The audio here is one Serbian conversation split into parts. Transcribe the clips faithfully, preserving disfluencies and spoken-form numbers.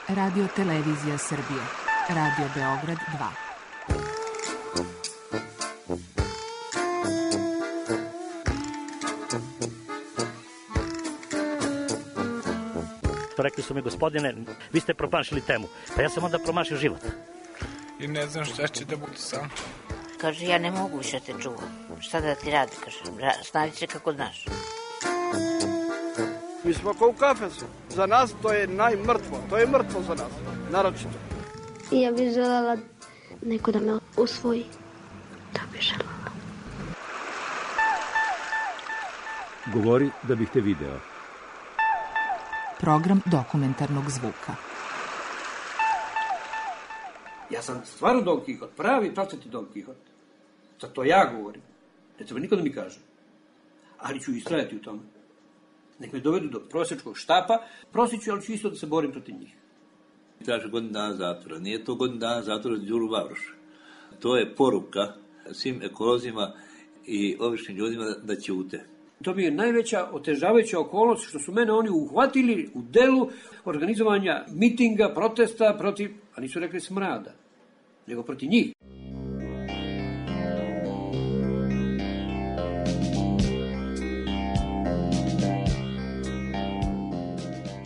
Radio Televizija Srbije. Radio Beograd dva. Rekli su mi, gospodine, vi ste promašili temu. Pa ja sam onda promašio život. I ne znam šta će da bude sam. Kaže, ja ne mogu više te čuvam. Šta da ti radi, kaže, snađi se kako znaš. Mi smo kao u kafesu. Za nas to je najmrtvo. To je mrtvo za nas, naročito. Ja bih želela neko da me usvoji. To bih želela. Govori da bih te video. Program dokumentarnog zvuka. Ja sam stvarno Don Kihot, pravi pravcati Don Kihot. Sad to ja govorim. Ne treba niko da mi kaže. Ali ću istrajati u tome. Nek me dovedu do prosječkog štapa, prosit ću, ali ću isto da se borim protiv njih. Traže godinu dana zatvora. Nije to godinu dana zatvora za Đuru Vavroša. To je poruka svim ekolozima i običnim ljudima da ćute. To mi je najveća otežavajuća okolnost što su mene oni uhvatili u delu organizovanja mitinga, protesta protiv, a nisu rekli smrada, nego protiv njih.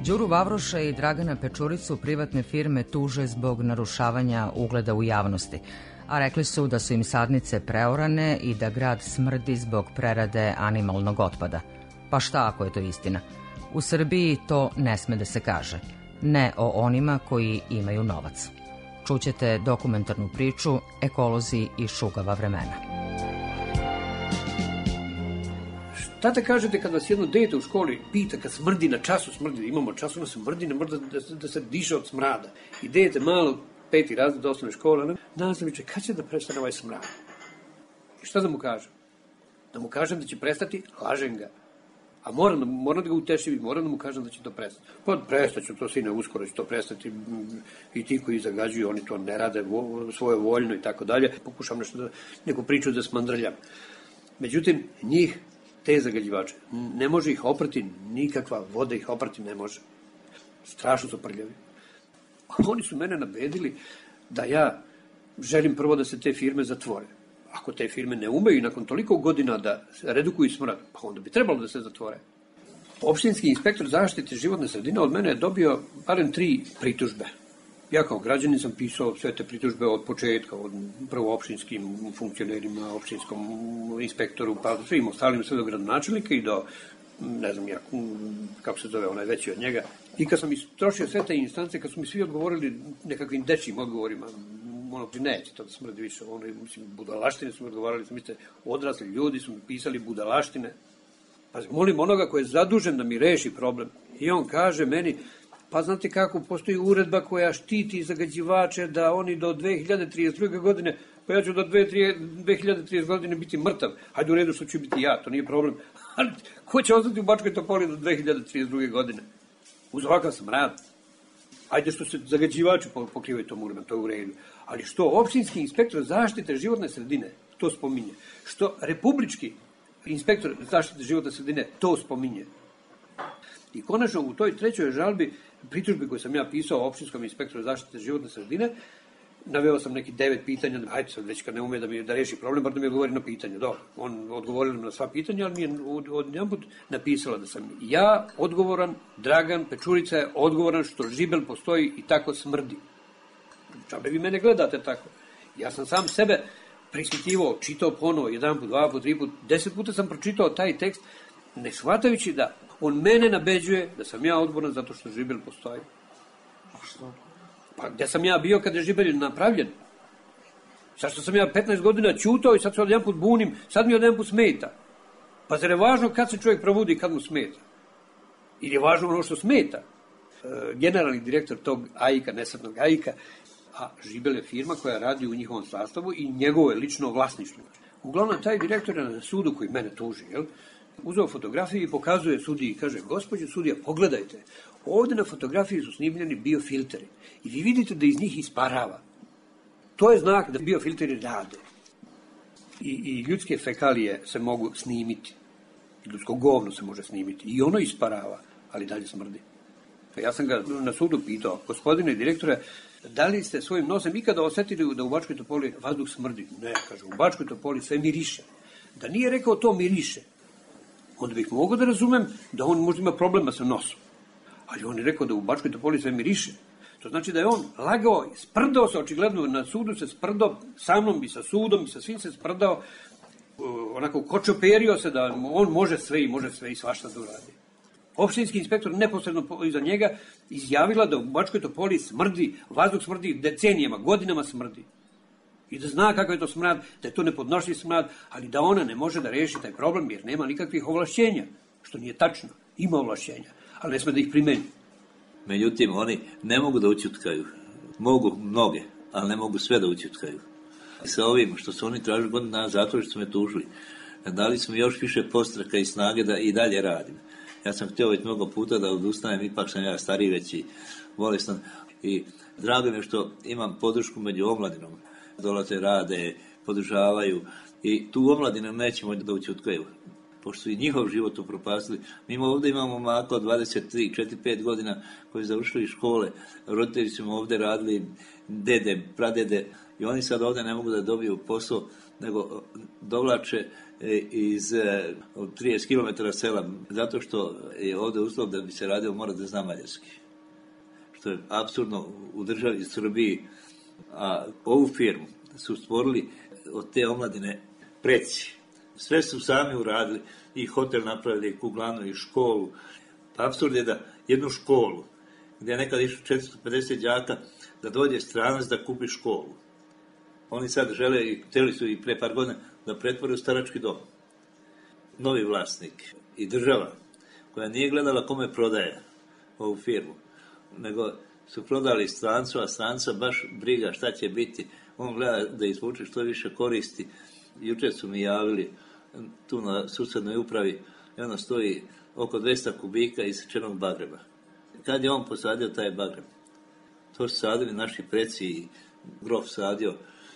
Đuru Vavroša i Dragana Pečuricu privatne firme tuže zbog narušavanja ugleda u javnosti, a rekli su da su im sadnice preorane i da grad smrdi zbog prerade animalnog otpada. Pa šta ako je to istina? U Srbiji to ne sme da se kaže. Ne o onima koji imaju novac. Čućete dokumentarnu priču Ekolozi i šugava vremena. Šta te kažete kad vas jedno dete u školi pita, kad smrdi na času, smrdi, imamo času na smrdi, ne mora da, da se diše od smrada. I dete malo, peti razred osnovne škole, nastaviće, kad će da prestane ovaj smrad? I šta da mu kažem? Da mu kažem da će prestati, lažem ga. A moram, moram da ga utešim, moram da mu kažem da će to prestati. Pa prestaću to, sine, uskoro će to prestati. I ti koji zagađuju, oni to ne rade vo, svoje voljno i tako dalje. Pokušam nešto da, neku priču da smandrljam. Međutim, njih, te zagađivače, ne može ih oprati, nikakva voda ih oprati ne može. Strašno su prljavi. Oni su mene nabedili da ja želim prvo da se te firme zatvore. Ako te firme ne umeju nakon toliko godina da redukuju smrad, pa onda bi trebalo da se zatvore. Opštinski inspektor zaštite životne sredine od mene je dobio barem tri pritužbe. Ja kao građanin sam pisao sve te pritužbe od početka, od prvo opštinskim funkcionerima, opštinskom inspektoru, pa svim ostalim, sve do gradonačelnika i do, ne znam ja, kako se zove, onaj veći od njega. I kad sam istrošio sve te instance, kad su mi svi odgovorili nekakvim dečijim odgovorima, ono, neće to da smrdi više, ono, mislim, budalaštine su mi odgovarali, sam mislite, odrasli ljudi su mi pisali budalaštine. Pa molim onoga koji je zadužen da mi reši problem. I on kaže meni, pa znate kako, postoji uredba koja štiti zagađivače da oni do dve hiljade trideset druge godine, pa ja ću do dve hiljade trideset godine biti mrtav. Hajde u redu što ću biti ja, to nije problem. Ali ko će ostati u Bačkoj Topoli do dve hiljade trideset druge godine? Uz ovakav smrad. Hajde što se zagađivači pokrivaju tom uredbom, to je u redu. Ali što opštinski inspektor zaštite životne sredine, to spominje. Što republički inspektor zaštite životne sredine, to spominje. I konačno u toj trećoj žalbi, pritužbi koju sam ja pisao opštinskom inspektoru zaštite životne sredine, naveo sam neki devet pitanja, hajde sad već kad ne ume da mi da reši problem, bar da mi odgovori na pitanje. Dobro, on odgovorio na sva pitanja, ali mi je od jedan put napisala da sam ja odgovoran, Dragan Pečurica je odgovoran što žibel postoji i tako smrdi. Čabe vi mene gledate tako. Ja sam sam sebe prispitivao, čitao ponovo, jedan put, dva put, tri put, deset puta sam pročitao taj tekst, ne shvatajući da on mene nabeđuje da sam ja odgovoran zato što žibel postoji. A što? Pa gde sam ja bio kada je žibel napravljen? Zašto sam ja petnaest godina ćutao i sad se od jedan put bunim, sad mi od jedan put smeta. Pa zar je važno kad se čovjek probudi i kad mu smeta? Ili je važno ono što smeta? E, generalni direktor tog A I K-a, nesretnog A I K-a, a žibel je firma koja radi u njihovom sastavu i njegovo je lično vlasništvo. Uglavnom, taj direktor je na sudu koji mene tuži, jel? Uzeo fotografiju i pokazuje sudiji i kaže, gospođo sudija, pogledajte, ovde na fotografiji su snimljeni biofilteri i vi vidite da iz njih isparava. To je znak da biofilteri rade. I, i ljudske fekalije se mogu snimiti. Ljudsko govno se može snimiti. I ono isparava, ali dalje smrdi. Ja sam ga na sudu pitao, gospodine direktore, da li ste svojim nosem ikada osetili da u Bačkoj Topoli vazduh smrdi? Ne, kaže, u Bačkoj Topoli sve miriše. Da nije rekao to miriše, onda bih mogao da razumem da on možda ima problema sa nosom. Ali on je rekao da u Bačkoj Topoli sve miriše. To znači da je on lagao, sprdao se, očigledno na sudu se sprdao, sa mnom i sa sudom i sa svim se sprdao, onako kočoperio se da on može sve i može sve i svašta da uradi. Opštinski inspektor neposredno iza njega izjavila da u Bačkoj Topoli smrdi, vazduh smrdi decenijama, godinama smrdi. I da zna kakav je to smrad, da je to nepodnošljiv smrad, ali da ona ne može da reši taj problem jer nema nikakvih ovlašćenja, što nije tačno. Ima ovlašćenja, ali ne sme da ih primeni. Međutim, oni ne mogu da ućutkaju. Mogu mnoge, ali ne mogu sve da ućutkaju. Sa ovim što su oni tražili godinu dana zatvora što su me tužili, dali su mi još više postraka i snage da i dalje radim. Ja sam htio već mnogo puta da odustanem, ipak sam ja stariji već i bolestan. I drago mi je što imam podršku među omladinom. Dolaze, rade, podržavaju i tu omladinu nećemo da ućutkaju. Pošto su i njihov život upropastili. Mi ovdje imamo maka od dvadeset tri, četiri, pet godina koji su završili škole. Roditelji su ovdje radili, dede, pradede i oni sad ovdje ne mogu da dobiju posao, nego dovlače iz trideset kilometara sela, zato što je ovdje uslov da bi se radio mora da zna mađarski. Što je apsurdno u državi Srbiji. A ovu firmu su stvorili od te omladine preci. Sve su sami uradili, i hotel napravili, i kuglanu, i školu. Pa apsurd je da jednu školu, gdje je nekad išlo četiristo pedeset đaka, da dođe stranac da kupi školu. Oni sad žele, i htjeli su i pre par godina, da pretvore u starački dom. Novi vlasnik i država, koja nije gledala kome prodaje ovu firmu, nego su prodali strancu, a stranca baš briga šta će biti. On gleda da izvuče što više koristi. Jučer su mi javili tu na susednoj upravi, i ono stoji oko dvesta kubika isečenog bagreba. Kad je on posadio taj bagreb? To su sadili naši preci i grof sadio,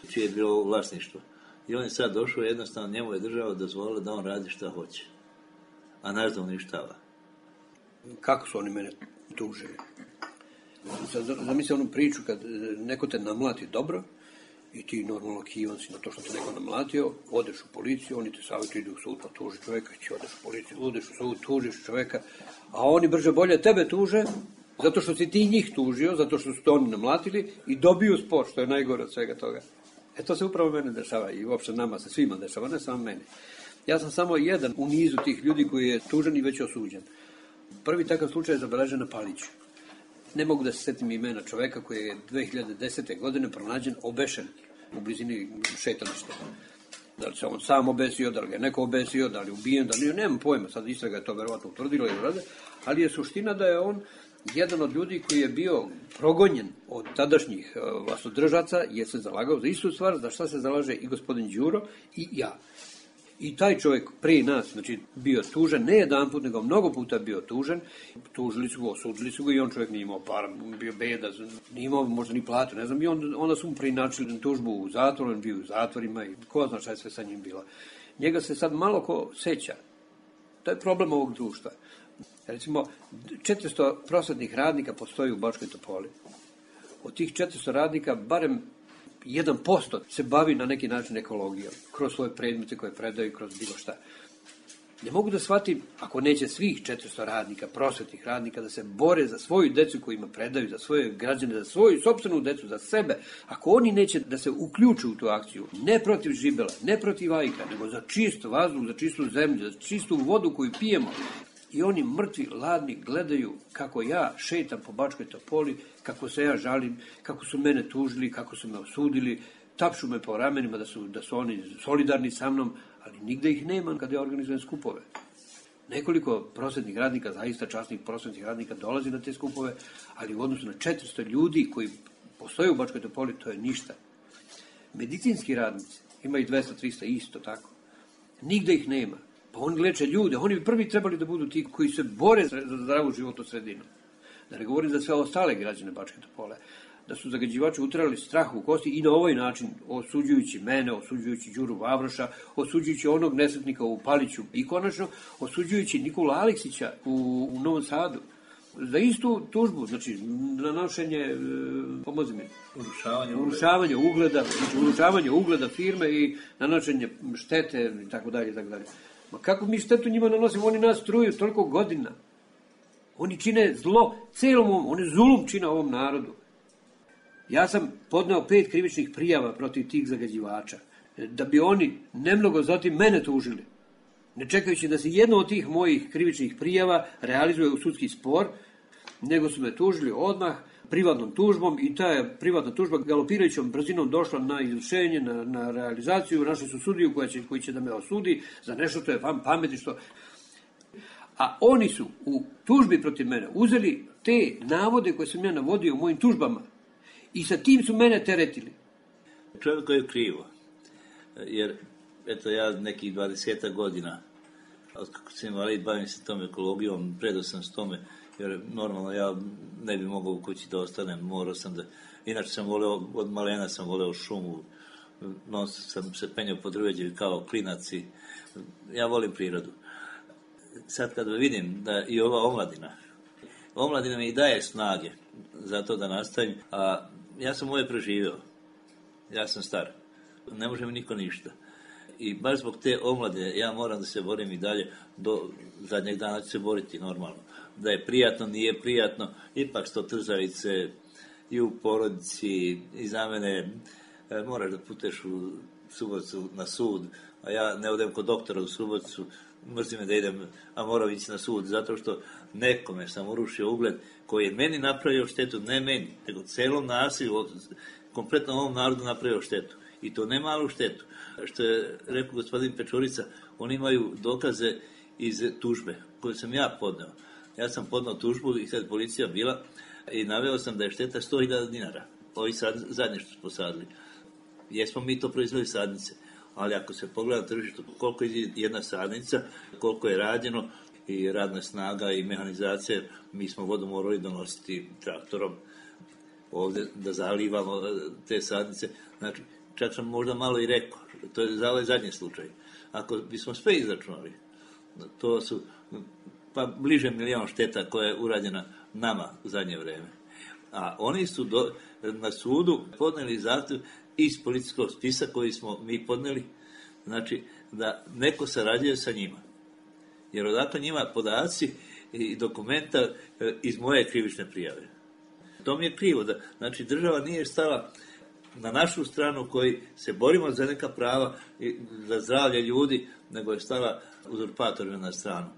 čije je bilo vlasništvo. I on je sad došao, jednostavno njemu je država dozvolila da on radi šta hoće. A naš da uništava. Kako su oni mene tužili? Zamisli onu priču kad neko te namlati dobro i ti normalno kivan si na to što te neko namlatio, odeš u policiju, oni te savjetuju, ide u sud pa tuži čovjeka, ti odeš u policiju, odeš u sud, tužiš čovjeka, a oni brže bolje tebe tuže, zato što si ti njih tužio, zato što su to oni namlatili i dobiju spor, što je najgore od svega toga. E to se upravo mene dešava i uopšte nama se svima dešava, ne samo meni. Ja sam samo jedan u nizu tih ljudi koji je tužen i već osuđen. Prvi takav slučaj je zabeležen na Paliću. Ne mogu da se setim imena čoveka koji je dve hiljade desete. godine pronađen obešen u blizini šetališta. Da li se on sam obesio, da li ga je neko obesio, da li je ubijen, da li nemam pojma, sad istraga je to verovatno utvrdila i urade, ali je suština da je on jedan od ljudi koji je bio progonjen od tadašnjih vlastodržaca, je se zalagao za istu stvar, za šta se zalaže i gospodin Đuro i ja. I taj čovjek prije nas, znači, bio tužen, ne jedan put, nego mnogo puta bio tužen, tužili su ga, osudili su ga i on čovjek nije imao para, bio beda, nije imao možda ni platu, ne znam, i on, onda su mu preinačili tužbu u zatvoru, on bio u zatvorima i ko zna šta je sve sa njim bilo. Njega se sad malo ko seća. To je problem ovog društva. Recimo, četiristo prosvetnih radnika postoji u Bačkoj Topoli. Od tih četiristo radnika, barem jedan posto se bavi na neki način ekologijom, kroz svoje predmete koje predaju, kroz bilo šta. Ne mogu da shvatim, ako neće svih četiristo radnika, prosvetnih radnika, da se bore za svoju decu kojima predaju, za svoje građane, za svoju sopstvenu decu, za sebe, ako oni neće da se uključu u tu akciju, ne protiv žibela, ne protiv ajka, nego za čist vazduh, za čistu zemlju, za čistu vodu koju pijemo, i oni mrtvi, ladni, gledaju kako ja šetam po Bačkoj Topoli, kako se ja žalim, kako su mene tužili, kako su me osudili, tapšu me po ramenima da su, da su oni solidarni sa mnom, ali nigde ih nema kada ja organizujem skupove. Nekoliko prosvetnih radnika, zaista časnih prosvetnih radnika dolazi na te skupove, ali u odnosu na četiristo ljudi koji postoje u Bačkoj Topoli, to je ništa. Medicinski radnici, ima i dvesta trista isto tako. Nigde ih nema. Pa oni leče ljude, oni bi prvi trebali da budu ti koji se bore za zdravu životnu sredinu. Da ne govorim za sve ostale građane Bačke Topole. Da su zagađivači utrali strah u kosti i na ovaj način, osuđujući mene, osuđujući Đuru Vavroša, osuđujući onog nesretnika u Paliću i konačno osuđujući Nikolu Aleksića u, u Novom Sadu. Za istu tužbu, znači nanošenje, e, pomozi mi, Urušavanje urušavanje ugleda, znači urušavanje ugleda firme i nanošenje štete i tako dalje i tako dalje. Ma kako mi štetu njima nanosimo, oni nas truju toliko godina. Oni čine zlo celom ovom, oni zulum čine ovom narodu. Ja sam podneo pet krivičnih prijava protiv tih zagađivača, da bi oni nemnogo zatim mene tužili. Ne čekajući da se jedno od tih mojih krivičnih prijava realizuje u sudski spor, nego su me tužili odmah privatnom tužbom i ta je privatna tužba galopirajućom brzinom došla na izvršenje, na, na realizaciju. Našli su sudiju koja će, koji će da me osudi za nešto što je vam pameti. Što... A oni su u tužbi protiv mene uzeli te navode koje sam ja navodio u mojim tužbama i sa tim su mene teretili. Čovjek je krivo, jer eto ja nekih dvadesetak godina, od kako sam invalid, bavim se tom ekologijom, predao sam s tome, jer normalno ja ne bi mogao u kući da ostanem, morao sam da, inače sam voleo, od malena sam voleo šumu, non sam se penjao po drveđe kao klinac i ja volim prirodu. Sad kad vidim da i ova omladina, omladina mi i daje snage za to da nastavim, a ja sam ove preživio, ja sam star, ne može mi niko ništa. I baš zbog te omlade ja moram da se borim i dalje, do zadnjeg dana ću se boriti normalno. Da je prijatno, nije prijatno, ipak sto trzavice i u porodici i za mene e, moraš da puteš u Suboticu na sud, a ja ne odem kod doktora u Suboticu, mrzim me da idem, a moram ići na sud, zato što nekome sam urušio ugled koji je meni napravio štetu, ne meni, nego celom nasilju, kompletno ovom narodu napravio štetu. I to ne malu štetu. Što je rekao gospodin Pečurica, oni imaju dokaze iz tužbe koje sam ja podneo. Ja sam podneo tužbu i kad policija bila i naveo sam da je šteta sto hiljada dinara. Ovi sad, zadnje što smo sadili. Jesmo mi to proizveli sadnice, ali ako se pogleda na tržištu koliko je jedna sadnica, koliko je rađeno i radna snaga i mehanizacija, mi smo vodu morali donositi traktorom ovdje da zalivamo te sadnice. Znači, čak sam možda malo i rekao, to je za ovaj zadnji slučaj. Ako bismo sve izračunali, to su pa bliže milijon šteta koja je urađena nama u zadnje vreme. A oni su do, na sudu podneli zahtjev iz policijskog spisa koji smo mi podneli, znači da neko sarađuje sa njima. Jer odakle njima podaci i dokumenta iz moje krivične prijave. To mi je krivo, da, znači država nije stala na našu stranu koji se borimo za neka prava i za zdravlje ljudi, nego je stala uzurpatorima na stranu.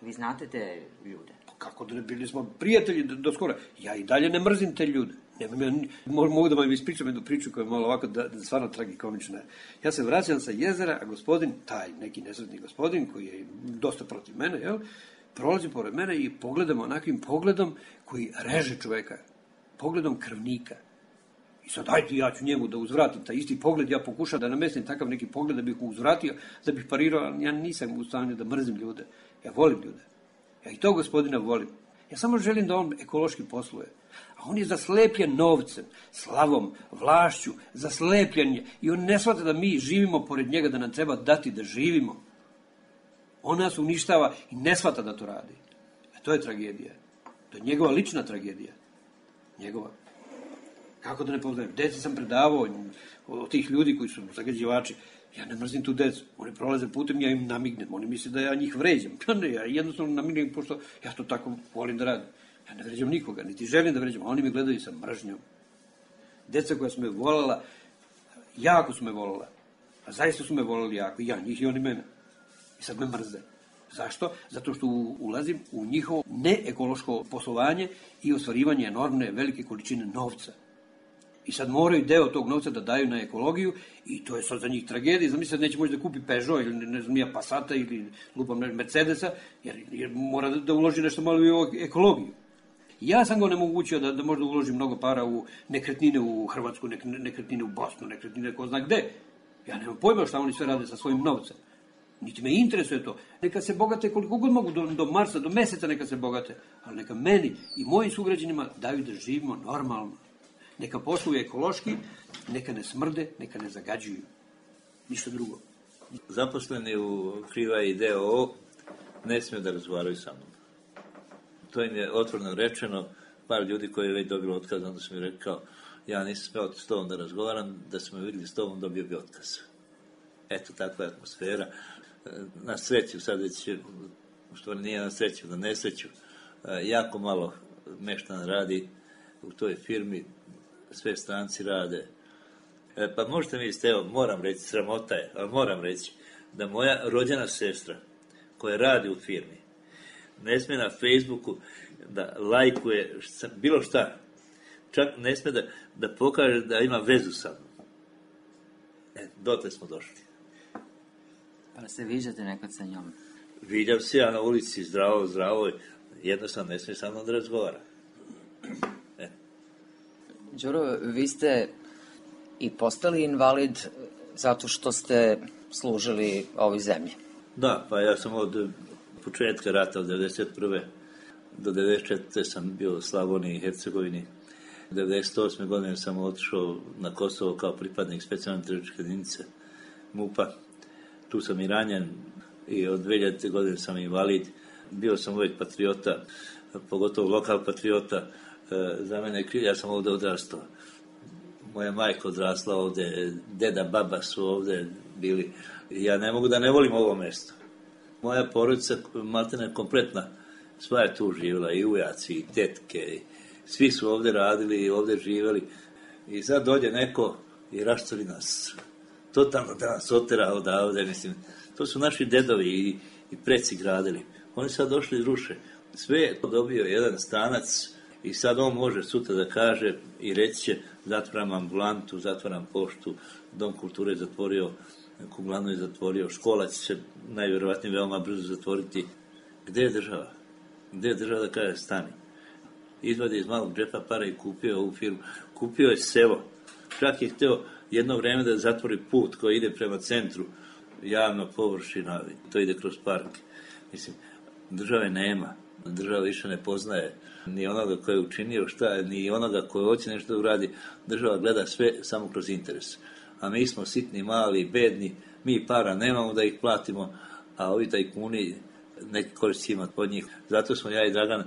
Vi znate te ljude? Kako da ne, bili smo prijatelji do, do skora. Ja i dalje ne mrzim te ljude. Nemam ja, mogu da vam ispričam jednu priču koja je malo ovako da, da stvarno tragikomična. Ja se vraćam sa jezera, a gospodin, taj neki nesretni gospodin koji je dosta protiv mene, jel, prolazi pored mene i pogledam onakvim pogledom koji reže čoveka. Pogledom krvnika. I sad, ajde, ja ću njemu da uzvratim taj isti pogled, ja pokušam da namestim takav neki pogled da bih mu uzvratio, da bih parirao, ali ja nisam u stanju da mrzim ljude. Ja volim ljude. Ja i to gospodina volim. Ja samo želim da on ekološki posluje. A on je zaslepljen novcem, slavom, vlašću, zaslepljen je. I on ne shvata da mi živimo pored njega, da nam treba dati da živimo. On nas uništava i ne shvata da to radi. A to je tragedija. To je njegova lična tragedija. Njegova. Kako da ne poznajem? Deci sam predavao od tih ljudi koji su zagađivači. Ja ne mrzim tu decu. Oni prolaze putem, ja im namignem. Oni misle da ja njih vređam. Pa ne, ja jednostavno namignem, pošto ja to tako volim da radim. Ja ne vređam nikoga, niti želim da vređam. Oni me gledaju sa mržnjom. Deca koja su me volala, jako su me volala. A zaista su me volali jako. I ja njih i oni mene. I sad me mrze. Zašto? Zato što ulazim u njihovo neekološko poslovanje i ostvarivanje enormne velike količine novca. I sad moraju deo tog novca da daju na ekologiju i to je sad za njih tragedija. Zamisli, neće moći da kupi Peugeot ili ne znam ja Passata ili lupam Mercedesa, jer, jer mora da, da uloži nešto malo i u ekologiju. Ja sam ga onemogućio da, da možda uloži mnogo para u nekretnine u Hrvatsku, nek, nekretnine u Bosnu, nekretnine ko zna gde. Ja nemam pojma šta oni sve rade sa svojim novcem. Niti me interesuje to. Neka se bogate koliko god mogu, do, do Marsa, do meseca neka se bogate, ali neka meni i mojim sugrađanima daju da živimo normalno. Neka posluju ekološki, neka ne smrde, neka ne zagađuju. Ništa drugo. Zaposleni u Kriva i D O O ne smiju da razgovaraju sa mnom. to im je otvoreno rečeno, par ljudi koji je već dobilo otkaz, onda su mi rekao, ja nisam smeo s tobom da razgovaram, da smo me vidjeli s tobom, dobio bi otkaz. Eto, takva je atmosfera. Na sreću, sad već, u stvari nije na sreću, na nesreću, jako malo meštana radi u toj firmi, sve stranci rade. E, pa možete mi isti, evo, moram reći, sramota je, ali moram reći, da moja rođena sestra, koja radi u firmi, ne smije na Facebooku da lajkuje šta, bilo šta, čak ne smije da, da pokaže da ima vezu sa mnom. E, dotle smo došli. Pa se viđate nekad sa njom? Viđam se ja na ulici, zdravo, zdravo, jednostavno ne smije sa mnom da razgovara. E. Đuro, vi ste i postali invalid zato što ste služili ovoj zemlji. Da, pa ja sam od početka rata od devedeset prve do devedeset četvrte sam bio u Slavoniji i Hercegovini. devedeset osme godine sam otišao na Kosovo kao pripadnik specijalne terorističke jedinice MUP-a. Tu sam i ranjen i od dve hiljadite godine sam invalid. Bio sam uvijek patriota, pogotovo lokal patriota. Za mene je kriv, ja sam ovdje odrastao. Moja majka odrasla ovdje, deda, baba su ovdje bili. Ja ne mogu da ne volim ovo mjesto. Moja porodica, maltene kompletna, sva je tu živjela, i ujaci, i tetke, i svi su ovdje radili i ovdje živjeli. I sad dođe neko i raštori nas. Totalno da nas otera odavde, mislim. To su naši dedovi i, i preci gradili. Oni sad došli i ruše. Sve je to dobio jedan stranac i sad on može sutra da kaže i reći će zatvaram ambulantu, zatvaram poštu, dom kulture je zatvorio, kuglanu je zatvorio, škola će se najvjerovatnije veoma brzo zatvoriti. Gde je država? Gde je država da kaže stani? Izvadi iz malog džepa para i kupio ovu firmu. Kupio je selo. Čak je htio jedno vreme da zatvori put koji ide prema centru, javna površina, to ide kroz park. Mislim, države nema. Država više ne poznaje ni onoga koji je učinio šta, ni onoga koji hoće nešto da uradi. Država gleda sve samo kroz interes. A mi smo sitni, mali, bedni, mi para nemamo da ih platimo, a ovi tajkuni neki koristi imati pod njih. Zato smo ja i Dragan,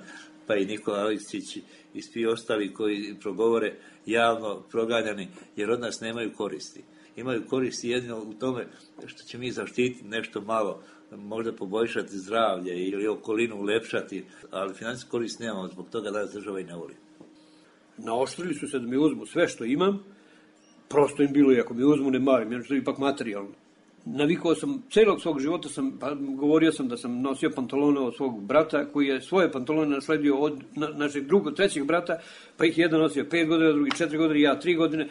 pa i Nikola Aleksić i svi ostali koji progovore javno proganjani, jer od nas nemaju koristi. Imaju koristi jedino u tome što će mi zaštititi nešto malo, možda poboljšati zdravlje ili okolinu ulepšati, ali financijsku korist nemamo, zbog toga da nas država i ne voli. Naoštrili su se da mi uzmu sve što imam, prosto im bilo i ako mi uzmu ne marim, jer što je ipak materijalno. Navikao sam, celog svog života sam, pa govorio sam da sam nosio pantalone od svog brata, koji je svoje pantalone nasledio od na, našeg drugog, trećeg brata, pa ih jedan nosio pet godina, drugi četiri godine, ja tri godine.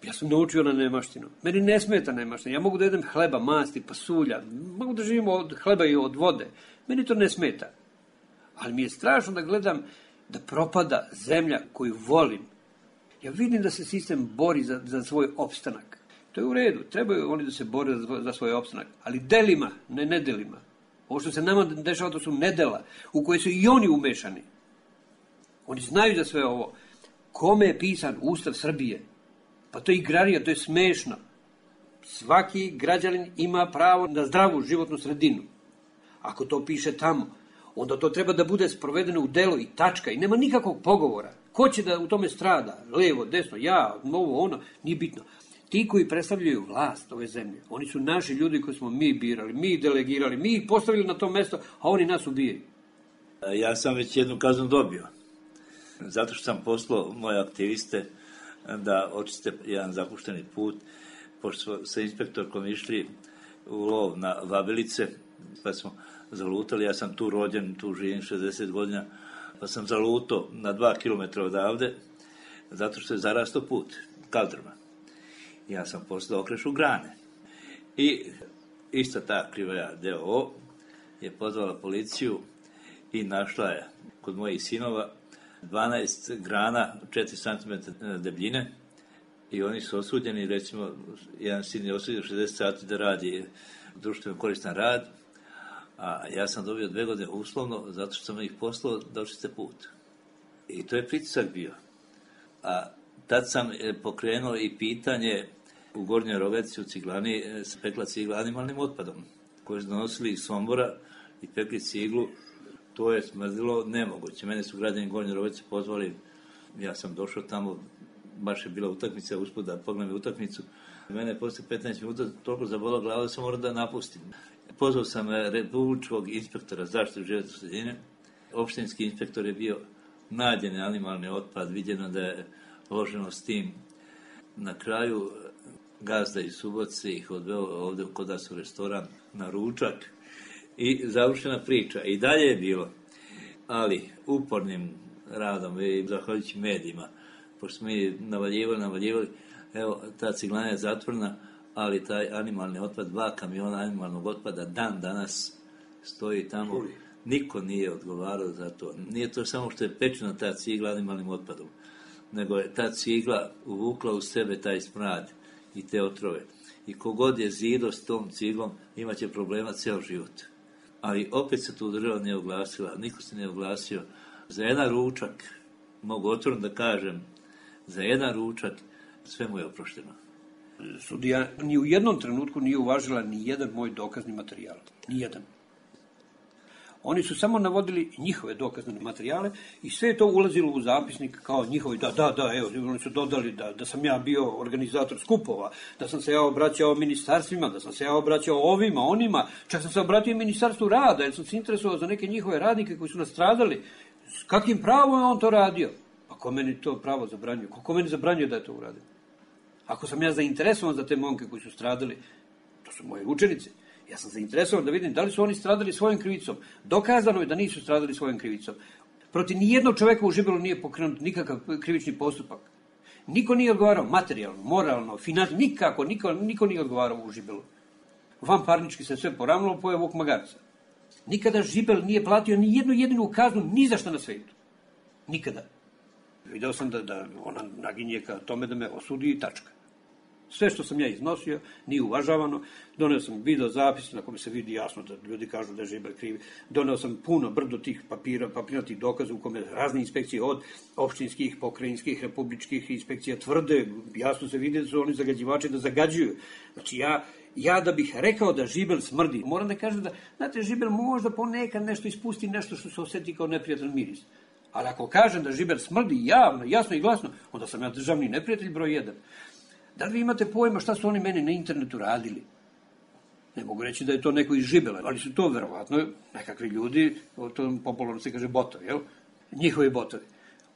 Ja sam naučio na nemaštinu. Meni ne smeta nemaština. Ja mogu da jedem hleba, masti, pasulja, mogu da živim od hleba i od vode. Meni to ne smeta. Ali mi je strašno da gledam da propada zemlja koju volim. Ja vidim da se sistem bori za, za svoj opstanak. To je u redu. Trebaju oni da se bore za, za svoj opstanak. Ali delima, ne nedelima. Ovo što se nama dešava, to su nedela u koje su i oni umešani. Oni znaju za sve ovo. Kome je pisan Ustav Srbije? Pa to je igrarija, to je smešno. Svaki građanin ima pravo na zdravu životnu sredinu. Ako to piše tamo, onda to treba da bude sprovedeno u delo i tačka i nema nikakvog pogovora. Ko će da u tome strada? Levo, desno, ja, ovo, ono, nije bitno. Ti koji predstavljaju vlast ove zemlje, oni su naši ljudi koji smo mi birali, mi delegirali, mi ih postavili na to mesto, a oni nas ubijaju. Ja sam već jednu kaznu dobio. Zato što sam poslao moje aktiviste da očiste jedan zapušteni put, pošto smo sa inspektorkom išli u lov na vabilice, pa smo zalutali, ja sam tu rođen, tu živim šezdeset godina, pa sam zalutao na dva kilometra odavde, zato što je zarastao put, kaldrma. Ja sam poslao okrešu grane. I ista ta Krivaja D O O je pozvala policiju i našla je kod mojih sinova dvanaest grana, četiri centimetra debljine, i oni su osuđeni, recimo, jedan sin je osuđen šezdeset sati da radi društveno koristan rad, a ja sam dobio dve godine uslovno, zato što sam ih poslao da očiste put. I to je pritisak bio. A tad sam pokrenuo i pitanje u Gornjoj Rogatici u Ciglani, se pekla cigla animalnim otpadom, koji su donosili iz Sombora i pekli ciglu To je smrdilo nemoguće. Mene su građani Gornje Rovice pozvali, ja sam došao tamo, baš je bila utakmica, usput da pogledam utakmicu. Mene je posle petnaest minuta toliko zabola glava da sam morao da napustim. Pozvao sam republičkog inspektora zaštite životne sredine. Opštinski inspektor je bio nađen animalni otpad, viđeno da je loženo s tim. Na kraju gazda iz Subotice ih odveo ovde kod nas u restoran na ručak i završena priča. I dalje je bilo, ali upornim radom i zahvaljujući medijima, pošto smo mi navaljivali, navaljivali, evo, ta ciglana je zatvorena, ali taj animalni otpad, dva kamiona animalnog otpada dan danas stoji tamo. Niko nije odgovarao za to. Nije to samo što je pečena ta cigla animalnim otpadom, nego je ta cigla uvukla u sebe taj smrad i te otrove. I kogod je zido s tom ciglom, imaće problema ceo život. Ali opet se tu država nije oglasila, niko se nije oglasio. Za jedan ručak, mogu otvorno da kažem, za jedan ručak sve mu je oprošteno. Sudija ni u jednom trenutku nije uvažila ni jedan moj dokazni materijal. Ni jedan. Oni su samo navodili njihove dokazne materijale i sve je to ulazilo u zapisnik kao njihovi, da, da, da, evo, oni su dodali da, da sam ja bio organizator skupova, da sam se ja obraćao ministarstvima, da sam se ja obraćao ovima, onima, čak sam se obratio ministarstvu rada, jer sam se interesovao za neke njihove radnike koji su nastradali. S kakvim pravom je on to radio? Pa ko meni to pravo zabranjuje? Ko meni zabranjuje da je to uradio? Ako sam ja zainteresovan za te momke koji su stradali, to su moje učenice. Ja sam zainteresovan da vidim da li su oni stradali svojom krivicom. Dokazano je da nisu stradali svojom krivicom. Protiv nijednog čoveka u Žibelu nije pokrenut nikakav krivični postupak. Niko nije odgovarao materijalno, moralno, financijno, nikako, niko, niko nije odgovarao u Žibelu. Vanparnički se sve poravnalo, pojeo Vuk Magarca. Nikada Žibel nije platio ni jednu jedinu kaznu ni za šta na svetu. Nikada. Video sam da, da ona naginje ka tome da me osudi i tačka. Sve što sam ja iznosio nije uvažavano. Doneo sam video zapis na kome se vidi jasno da ljudi kažu da je Žibel krivi. Doneo sam puno brdo tih papira, papirnatih dokaza u kome razne inspekcije od opštinskih, pokrajinskih, republičkih inspekcija tvrde, jasno se vidi da su oni zagađivači da zagađuju. Znači ja, ja da bih rekao da Žibel smrdi, moram da kažem da, znate, Žibel možda ponekad nešto ispusti, nešto što se osjeti kao neprijatan miris. Ali ako kažem da Žibel smrdi javno, jasno i glasno, onda sam ja državni neprijatelj broj jedan. Da li vi imate pojma šta su oni meni na internetu radili? Ne mogu reći da je to neko iz Žibela, ali su to verovatno nekakvi ljudi, to popularno se kaže botovi, jel? Njihovi botovi.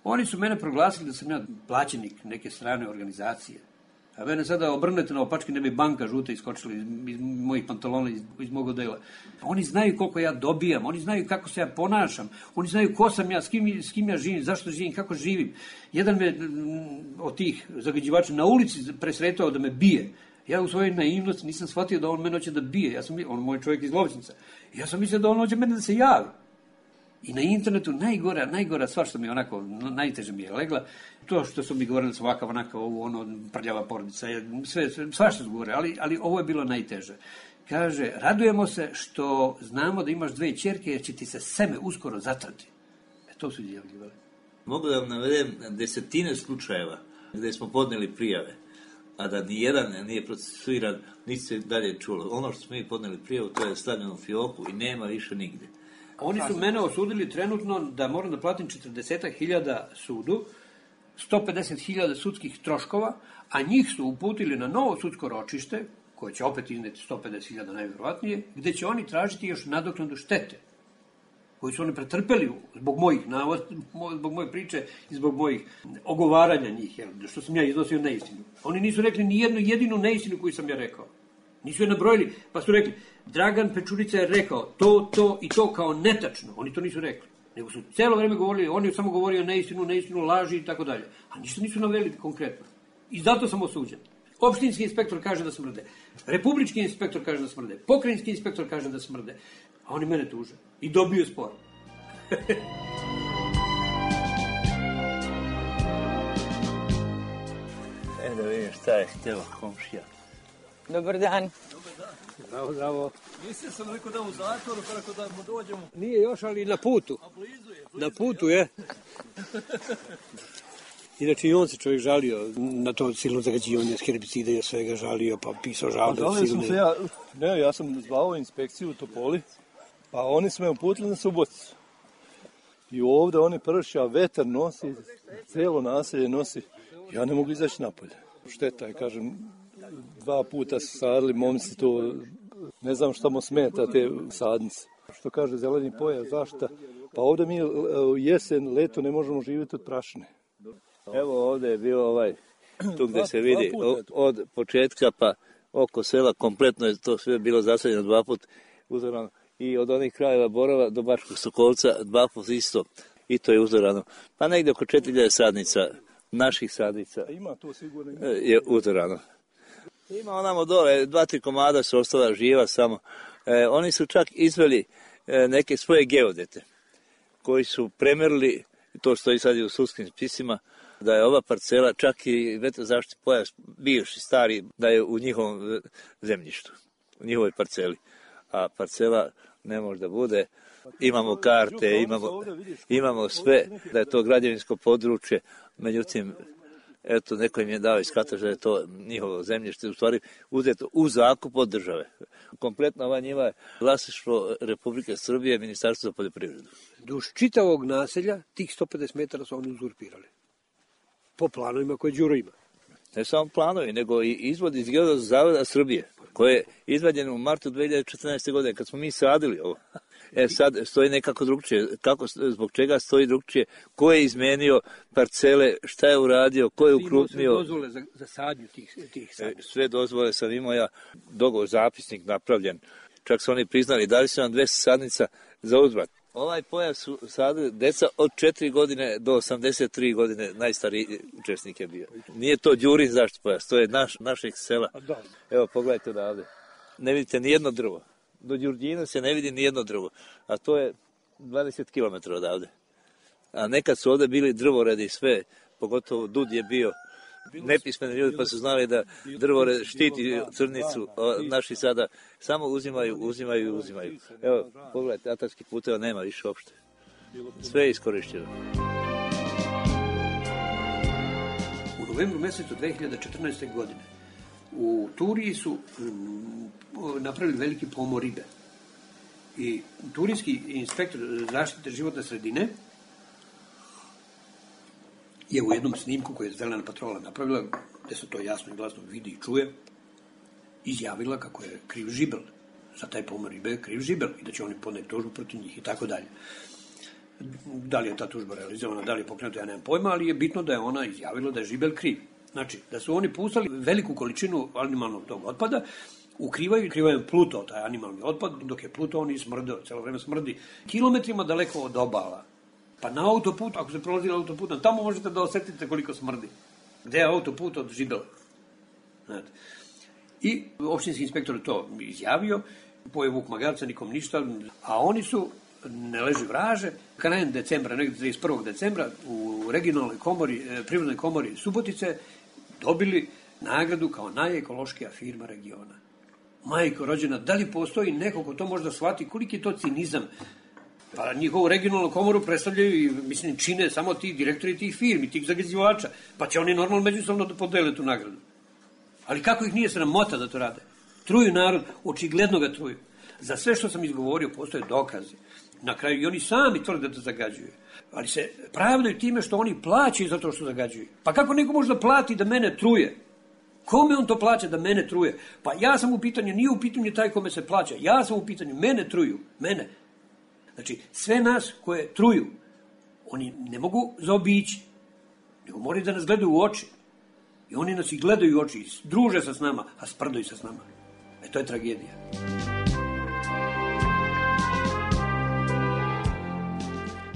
Oni su mene proglasili da sam ja plaćenik neke strane organizacije. A mene sada obrnete na opačke, ne bi banka žuta iskočila iz, iz mojih pantalona, iz, iz mog odela. Oni znaju koliko ja dobijam, oni znaju kako se ja ponašam, oni znaju ko sam ja, s kim, s kim ja živim, zašto živim, kako živim. Jedan me od tih zagađivača na ulici presretao da me bije. Ja u svojoj naivnosti nisam shvatio da on mene hoće da bije. Ja sam, on moj čovjek iz Lovćinca. Ja sam mislio da on hoće mene da se javi. I na internetu najgora, najgora stvar što mi je onako, najteže mi je legla, to što su mi govorili svaka, onaka, ovo, ono, prljava porodica, sve, sve, svašta su govorili, ali, ali ovo je bilo najteže. Kaže, radujemo se što znamo da imaš dve ćerke, jer će ti se seme uskoro zatrati. E, to su izjavljivali. Mogu da vam navedem desetine slučajeva gde smo podneli prijave, a da ni jedan nije procesuiran, niti se dalje čulo. Ono što smo mi podneli prijavu, to je stavljeno u fioku i nema više nigde. Oni su mene osudili trenutno da moram da platim četrdeset hiljada sudu, sto pedeset hiljada sudskih troškova, a njih su uputili na novo sudsko ročište, koje će opet izneti sto pedeset hiljada najverovatnije, gde će oni tražiti još nadoknadu štete, koju su oni pretrpeli zbog mojih navoda, zbog moje priče i zbog mojih ogovaranja njih, jer, što sam ja iznosio neistinu. Oni nisu rekli ni jednu jedinu neistinu koju sam ja rekao. Nisu je nabrojili, pa su rekli, Dragan Pečurica je rekao to, to i to kao netačno. Oni to nisu rekli. Nego su celo vreme govorili, oni samo govorio neistinu, neistinu, laži i tako dalje. A ništa nisu naveli konkretno. I zato sam osuđen. Opštinski inspektor kaže da smrde. Republički inspektor kaže da smrde. Pokrajinski inspektor kaže da smrde. A oni mene tuže. I dobiju spor. E da vidim šta je htjela komšija. Dobar dan. Bravo, bravo. Mislim sam rekao da u zatvoru, kako da mu dođemo. Nije još, ali na putu. A blizu je. Na putu je. Inače i on se čovjek žalio na to silno zagađivanje s herbicida i svega žalio, pa pisao žalbe. Žalio sam se ja, ne, ja sam zvao inspekciju u Topoli, pa oni su me uputili na Suboticu. I ovdje oni pršća, vetar nosi, celo naselje nosi. Ja ne mogu izaći napolje. Šteta je, kažem, dva puta su sadili momci to, ne znam šta mu smeta te sadnice. Što kaže zeleni pojas, zašta? Pa ovdje mi jesen, leto ne možemo živjeti od prašine. Evo ovdje je bio ovaj, tu gdje se vidi od početka pa oko sela, kompletno je to sve bilo zasađeno dva put uzorano. I od onih krajeva Borova do Bačkog Sokolca dva put isto. I to je uzorano. Pa negdje oko četiri hiljade sadnica, naših sadnica ima to sigurno, ima. Je uzorano. Ima onamo dole, dva, tri komada su ostala živa samo. E, oni su čak izveli e, neke svoje geodete koji su premerili, to stoji sad i u sudskim spisima, da je ova parcela, čak i vetrozaštitni pojas, bivši, stari, da je u njihovom zemljištu, u njihovoj parceli. A parcela ne može da bude. Imamo karte, imamo, imamo sve, da je to građevinsko područje, međutim, eto, neko im je dao iz katastra da je to njihovo zemljište, u stvari uzeto u zakup od države. Kompletno ova njiva je vlasništvo Republike Srbije, Ministarstvo za poljoprivredu. Duž čitavog naselja, tih sto pedeset metara su oni uzurpirali. Po planovima koje Đuro ima. Ne samo planovi, nego i izvod iz Geodetskog zavoda Srbije, koje je izvađeno u martu dve hiljade četrnaeste. godine, kad smo mi sadili ovo. E sad stoji nekako drugčije. Kako, zbog čega stoji drugčije? Ko je izmenio parcele, šta je uradio, ko je ukrupnio? Sve dozvole za, za sadnju tih, tih sadnju. Sve dozvole sam imao ja, dogovor, zapisnik napravljen. Čak su oni priznali, dali su nam dvesta sadnica za uzvrat. Ovaj pojas su sadili deca od četiri godine do osamdeset tri godine, najstariji učesnik je bio. Nije to Đurin zaštitni pojas, to je naš, našeg sela. Evo, pogledajte odavde. Ne vidite ni jedno drvo. Do Đurđina se ne vidi ni jedno drvo, a to je dvadeset kilometara odavde. A nekad su ovdje bili drvoredi i sve, pogotovo Dud je bio nepismeni ljudi, pa su znali da drvored štiti crnicu, naši sada samo uzimaju, uzimaju i uzimaju. Evo, pogledajte, atarskih puteva nema više uopšte. Sve je iskorišteno. U novembru mjesecu dve hiljade četrnaeste. godine u Turiji su mm, napravili veliki pomor ribe. I turijski inspektor zaštite životne sredine je u jednom snimku koji je Zelena patrola napravila, gdje se to jasno i glasno vidi i čuje, izjavila kako je kriv žibel. Za taj pomor ribe je kriv žibel i da će oni podneti tužbu protiv njih i tako dalje. Da li je ta tužba realizovana, da li je pokrenuta, ja nemam pojma, ali je bitno da je ona izjavila da je žibel kriv. Znači, da su oni pustali veliku količinu animalnog tog otpada, ukrivaju, ukrivaju Pluto, taj animalni otpad, dok je Pluto on i smrdeo, celo vreme smrdi, kilometrima daleko od obala. Pa na autoput, ako se prolazi na autoputom, tamo možete da osetite koliko smrdi. Gde je autoput od žibela? Znate. I opštinski inspektor je to izjavio, poje Vuk Magarca, nikom ništa, a oni su, ne leži vraže, krajem decembra, negdje trideset prvog decembra, u regionalnoj komori, privrednoj komori Subotice, dobili nagradu kao najekološkija firma regiona. Majko rođena, da li postoji neko ko to možda shvati, koliki je to cinizam? Pa njihovu regionalnu komoru predstavljaju i, mislim, čine samo ti direktori tih firmi, tih zagađivača, pa će oni normalno međusobno da podele tu nagradu. Ali kako ih nije sramota da to rade? Truju narod, očigledno ga truju. Za sve što sam izgovorio postoje dokazi. Na kraju i oni sami tvrde da zagađuju. Ali se pravdaju time što oni plaćaju za to što zagađuju. Pa kako neko može da plati da mene truje? Kome on to plaća da mene truje? Pa ja sam u pitanju, nije u pitanju taj kome se plaća. Ja sam u pitanju, mene truju. Mene. Znači, sve nas koje truju, oni ne mogu zaobići, nego moraju da nas gledaju u oči. I oni nas i gledaju u oči, i druže se s nama, a sprdaju se s nama. E, to je tragedija.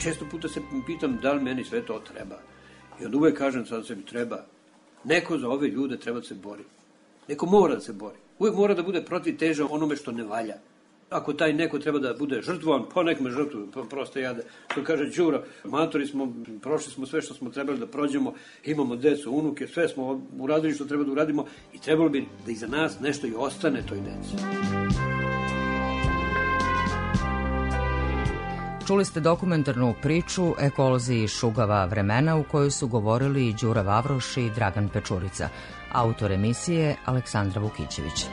Često puta se pitam da li meni sve to treba. I onda uvek kažem sad sebi treba. Neko za ove ljude treba da se bori. Neko mora da se bori. Uvek mora da bude protiv teža onome što ne valja. Ako taj neko treba da bude žrtvovan, pa nek me žrtvuju, prosto ja da, što kaže Đuro, matori smo, prošli smo sve što smo trebali da prođemo, imamo decu, unuke, sve smo uradili što treba da uradimo i trebalo bi da iza nas nešto i ostane toj deci. Čuli ste dokumentarnu priču Ekolozi iz šugava vremena u kojoj su govorili Đura Vavroš i Dragan Pečurica, autor emisije Aleksandra Vukićević.